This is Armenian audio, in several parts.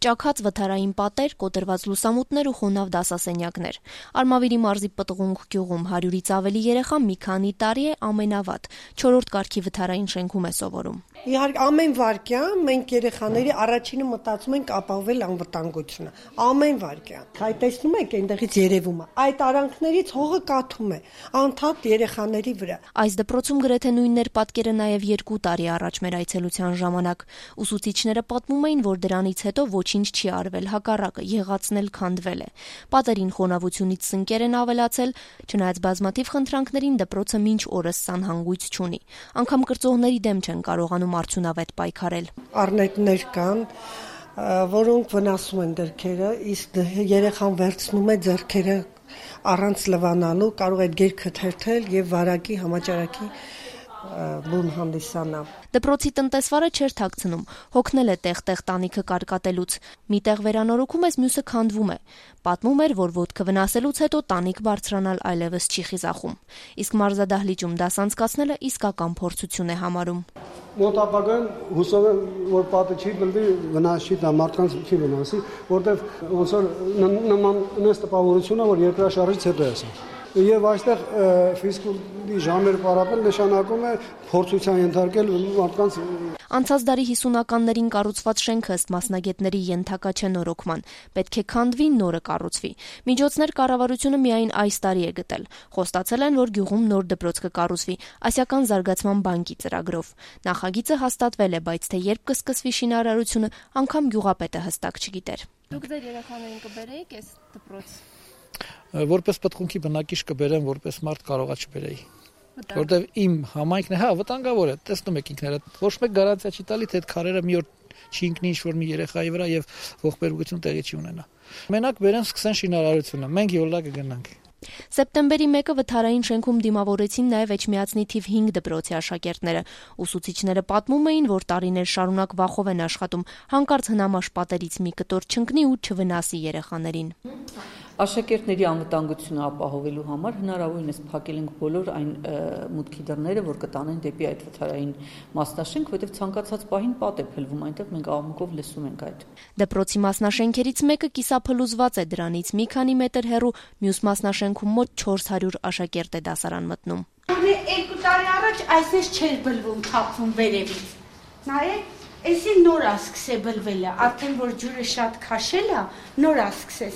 Ճաքած վթարային պատեր, կոտրված լուսամուտներ ու խոնավ դասասենյակներ։ Արմավիրի մարզի Պտղունք գյուղում 100-ից ավելի երեխա մի քանի տարի է ամենավատ 4-րդ կարգի վթարային շենքում է սովորում։ Իհարկե ամեն վարքյան մենք երեխաների առաջինը մտածում ենք ապահովել անվտանգությունը։ Ամեն վարքյան։ Այդ տեսնում եք այնտեղից երևում է։ Այդ արանքներից հողը կաթում է անդադ երեխաների վրա։ Այս դպրոցում գրեթե նույնն էր պատկերը նաև 2 տարի առաջ մեր այցելության ժամանակ։ Ուսուցիչները պատմում էին, որ դրանից հետո ոչինչ չի արվել, հակառակը եղածն էլ քանդվել է։ Պատերին խոնավությունից սնկեր են ավելացել, չնայած բազմաթիվ խնդրանքներին դպրոցը մինչ օրս սանհանգույց չունի։ Անգամ կրծողների դեմ չեն կարողանում արդյունավետ պայքարել։ Առնետներ կան, որոնք վնասում են դրքերը, իսկ երեխան վերցնում է ձեռքերը առանց լվանալու, կարող է գերքը թերթել եւ վարակի համաճարակի բուն հանդիսանա։ Դպրոցի տնտեսվարը չէր թաքցնում, հոգնել է տեղ-տեղ տանիքը կարկատելուց։ Մի տեղ վերանորոգում ես, մյուսը քանդվում է։ Պատմում էր, որ ոտքը վնասելուց հետո տանիք բարձրանալ այլևս չի խիզախում։ Իսկ մարզադահլիճում դաս անցկացնելը իսկական փորձություն է համարում։ Մոտ ապագան հուսով եմ, որ պատը չի բլվի, վնաս չի տա, մարդկանց չի վնասի, որտեվ ոնց որ նման նես տպավորությունը, որ երկրաշարժից հետո է սա։ Եվ այստեղ ֆիզկուլտուրի ժամեր պարապել նշանակում է փորձության ենթարկել մարդկանց։ Անցած դարի 50-ականներին կառուցված շենքը ըստ մասնագետների ենթակա չէ նորոգման, պետք է քանդվի, նորը կառուցվի։ Միջոցներ կառավարությունը միայն այս տարի է գտել։ Խոստացել են, որ գյուղում նոր դպրոց կկառուցվի Ասիական զարգացման բանկի ծրագրով։ Նախագիծը հաստատվել է, բայց թե երբ կսկսվի շինարարությունը, անգամ գյուղապետը հստակ չգիտեր։ Դուք ձեր երեխաներին կբերեիք այս դպրոց։ Որպես Պտղունքի բնակիչ կբերեմ, որպես մարդ կարողա չբերեի։ Որտեվ իմ համայնքն է, վտանգավոր է, տեսնում եք ինքներդ, ոչ մեկ գարանտիա չի տալի, թե այդ քարերը մի օր չի ընկնի ինչ-որ մի երեխայի վրա եւ ողբերգություն տեղի չի ունենա։ Մենակ բերեն սկսեն շինարարությունը, մենք յոլա կգնանք։ Սեպտեմբերի 1-ը վթարային շենքում դիմավորեցին նաև Էջմիածնի թիվ 5 դպրոցի աշակերտները։ Ուսուցիչները պատմում էին, որ տարիներ շարունակ վախով են աշխատում, հանկարծ հնամաշ պատերից մի կտոր չընկնի ու չվնասի երեխաներին։ Աշակերտների անվտանգությունը ապահովելու համար հնարավորինս փակել ենք բոլոր այն մուտքի դռները, որ կտանեն դեպի այդ վթարային մասնաշենք, որտեղ ցանկացած պահին պատ է փլվում, այնտեղ մենք աղմուկով լսում ենք այդ։ Դպրոցի մասնաշենքերից մեկը կիսափլուզված է, դրանից մի քանի մետր հեռու մյուս մասնաշենքում մոտ 400 աշակերտ է դասարան մտնում։ Գոնե 2 տարի առաջ այսպես չէր բլվում, թափվում վերևից։ Նայեք, էսի նոր է սկսե բլվելը, արդեն որ ջուրը շատ քաշել է, նոր է սկսե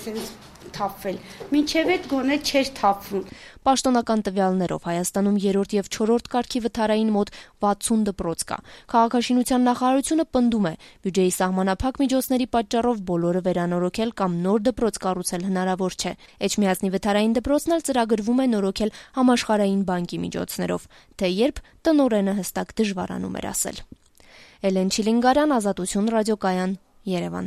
թափվել, մինչև այդ գոնե չէր թափվում։ Պաշտոնական տվյալներով Հայաստանում 3-րդ եւ 4-րդ կարգի վթարային մոտ 60 դպրոց կա։ Քաղաքաշինության նախարարությունը պնդում է, բյուջեի սահմանափակ միջոցների պատճառով բոլորը վերանորոգել կամ նոր դպրոց կառուցել հնարավոր չէ։ Էջմիածնի վթարային դպրոցն էլ ծրագրվում է նորոգել համաշխարհային բանկի միջոցներով, թե երբ տնօրենը հստակ դժվարանում էր ասել։ Էլեն Չիլինգարյան, Ազատություն ռադիոկայան, Երևան։